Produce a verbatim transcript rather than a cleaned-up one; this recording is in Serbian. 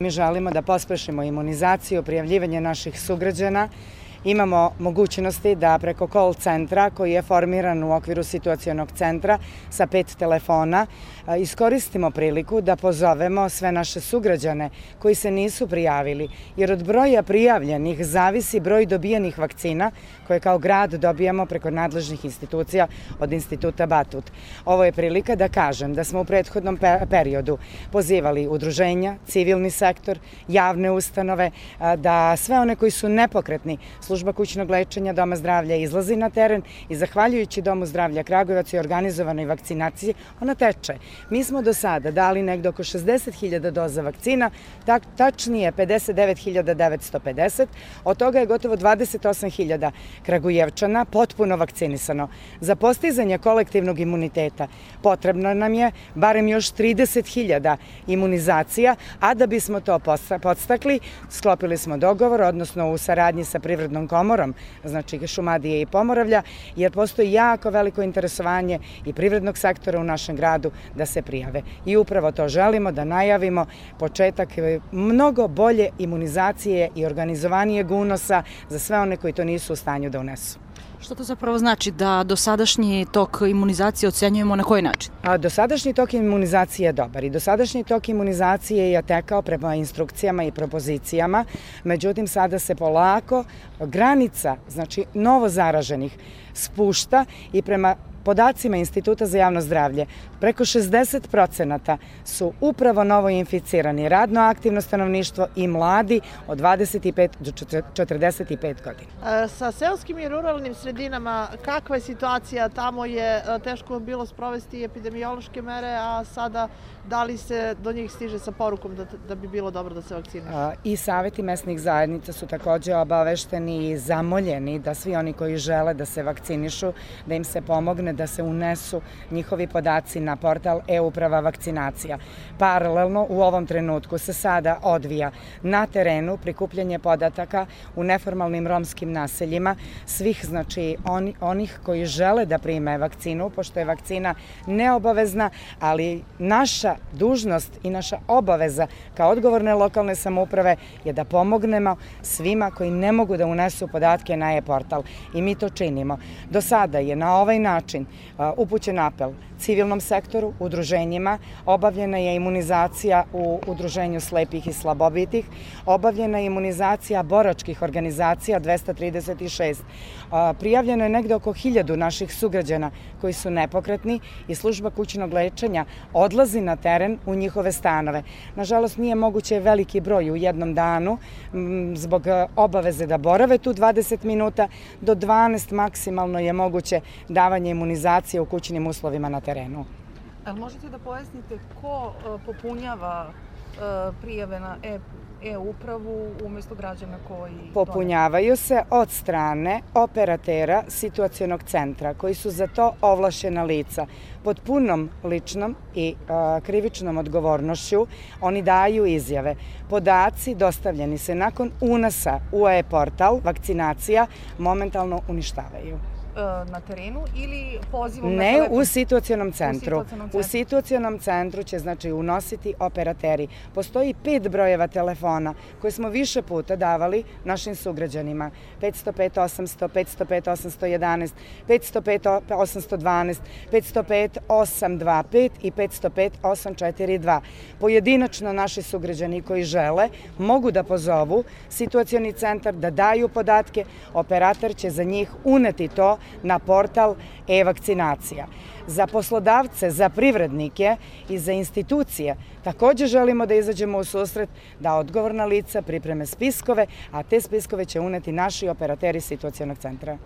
Mi želimo da pospešimo imunizaciju, prijavljivanje naših sugrađana. Imamo mogućnosti da preko call centra koji je formiran u okviru situacionog centra sa pet telefona iskoristimo priliku da pozovemo sve naše sugrađane koji se nisu prijavili, jer od broja prijavljenih zavisi broj dobijenih vakcina koje kao grad dobijamo preko nadležnih institucija od Instituta Batut. Ovo je prilika da kažem da smo u prethodnom periodu pozivali udruženja, civilni sektor, javne ustanove, da sve one koji su nepokretni, Služba kućnog lečenja Doma zdravlja izlazi na teren i zahvaljujući Domu zdravlja Kragujevac i organizovanoj vakcinaciji, ona teče. Mi smo do sada dali negde oko šezdeset hiljada doza vakcina, tačnije pedeset devet hiljada devetsto pedeset, od toga je gotovo dvadeset osam hiljada Kragujevčana potpuno vakcinisano. Za postizanje kolektivnog imuniteta potrebno nam je barem još trideset hiljada imunizacija, a da bismo to podstakli, sklopili smo dogovor, odnosno u saradnji sa Privrednom komorom, znači Šumadije i Pomoravlja, jer postoji jako veliko interesovanje i privrednog sektora u našem gradu da se prijave. I upravo to želimo da najavimo početak mnogo bolje imunizacije i organizovanijeg unosa za sve one koji to nisu u stanju da unesu. Što to zapravo znači, da dosadašnji tok imunizacije ocenjujemo na koji način? A dosadašnji tok imunizacije je dobar i dosadašnji tok imunizacije je tekao prema instrukcijama i propozicijama, međutim sada se polako granica, znači novo zaraženih, spušta i prema podacima Instituta za javno zdravlje, preko šezdeset procenata su upravo novo inficirani, radno aktivno stanovništvo i mladi od dvadeset pet do četrdeset pet godina. Sa seoskim i ruralnim sredinama, kakva je situacija? Tamo je teško bilo sprovesti epidemiološke mere, a sada da li se do njih stiže sa porukom da bi bilo dobro da se vakcinišu? I saveti mesnih zajednica su takođe obavešteni i zamoljeni da svi oni koji žele da se vakcinišu, da im se pomogne da se unesu njihovi podaci na portal e-uprava vakcinacija. Paralelno u ovom trenutku se sada odvija na terenu prikupljanje podataka u neformalnim romskim naseljima svih, znači oni, onih koji žele da prime vakcinu, pošto je vakcina neobavezna, ali naša dužnost i naša obaveza kao odgovorne lokalne samouprave je da pomognemo svima koji ne mogu da unesu podatke na e-portal i mi to činimo. Do sada je na ovaj način upućen apel civilnom sektoru, udruženjima, obavljena je imunizacija u udruženju slepih i slabovitih, obavljena je imunizacija boračkih organizacija dvesta trideset šest. Prijavljeno je negde oko hiljadu naših sugrađana koji su nepokretni i Služba kućnog lečenja odlazi na teren u njihove stanove. Nažalost, nije moguće veliki broj u jednom danu zbog obaveze da borave tu dvadeset minuta, do dvanaest maksimalno je moguće davanje imunizacije u kućnim uslovima na terenu. Ali možete da pojasnite ko popunjava prijave na e-upravu umjesto građana koji... Popunjavaju se od strane operatera situacionog centra koji su za to ovlašćena lica. Pod punom ličnom i krivičnom odgovornošću oni daju izjave. Podaci dostavljeni se nakon unosa u e-portal vakcinacija momentalno uništavaju. Na terenu ili pozivom na Ne, telefon? u situacionom centru. U situacionom centru će znači unositi operateri. Postoji pet brojeva telefona koje smo više puta davali našim sugrađanima. petsto pet osamsto, petsto pet osamsto jedanaest, petsto pet osamsto dvanaest, petsto pet osam dva pet i petsto pet osam četiri dva. Pojedinačno naši sugrađani koji žele mogu da pozovu situacioni centar, da daju podatke, operator će za njih uneti to na portal e-vakcinacija. Za poslodavce, za privrednike i za institucije takođe želimo da izađemo u susret da odgovorna lica pripreme spiskove, a te spiskove će uneti naši operateri situacionog centra.